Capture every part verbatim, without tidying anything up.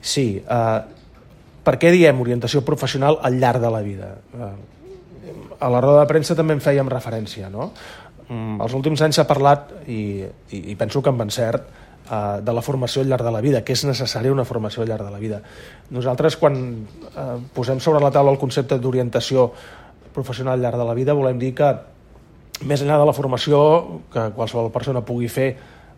Sí, eh, per què diem orientació professional al llarg de la vida? Eh, a la roda de premsa també en fèiem referència, no? Mm, els últims anys s'ha parlat, i, i, i penso que amb encert, eh, de la formació al llarg de la vida, que és necessària una formació al llarg de la vida. Nosaltres, quan eh, posem sobre la taula el concepte d'orientació professional al llarg de la vida, volem dir que, més enllà de la formació que qualsevol persona pugui fer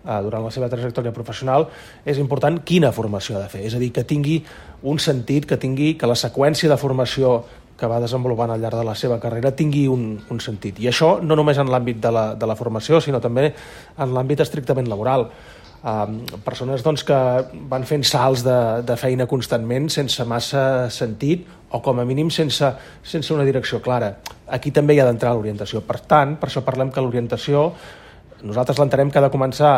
eh, durant la seva trajectòria professional, és important quina formació ha de fer. És a dir, que tingui un sentit, que tingui que la seqüència de formació que va desenvolupant al llarg de la seva carrera tingui un, un sentit. I això no només en l'àmbit de la, de la formació, sinó també en l'àmbit estrictament laboral. Um, persones doncs, que van fent salts de, de feina constantment sense massa sentit o com a mínim sense, sense una direcció clara. Aquí també hi ha d'entrar l'orientació. Per tant, per això parlem que l'orientació nosaltres l'entenem que ha de començar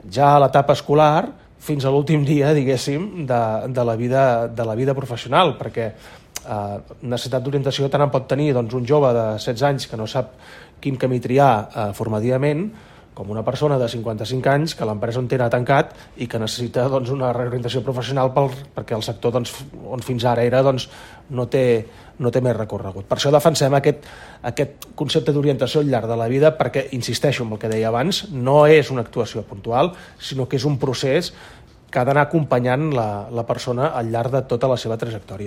ja a l'etapa escolar fins a l'últim dia, diguéssim, de, de, la vida, de la vida professional, perquè eh, necessitat d'orientació tant en pot tenir doncs, un jove de setze anys que no sap quin camí triar eh, formativament, com una persona de cinquanta-cinc anys que l'empresa on té ha tancat i que necessita doncs, una reorientació professional pel, perquè el sector doncs, on fins ara era doncs, no, té, no té més recorregut. Per això defensem aquest, aquest concepte d'orientació al llarg de la vida perquè, insisteixo en el que deia abans, no és una actuació puntual, sinó que és un procés que ha d'anar acompanyant la, la persona al llarg de tota la seva trajectòria.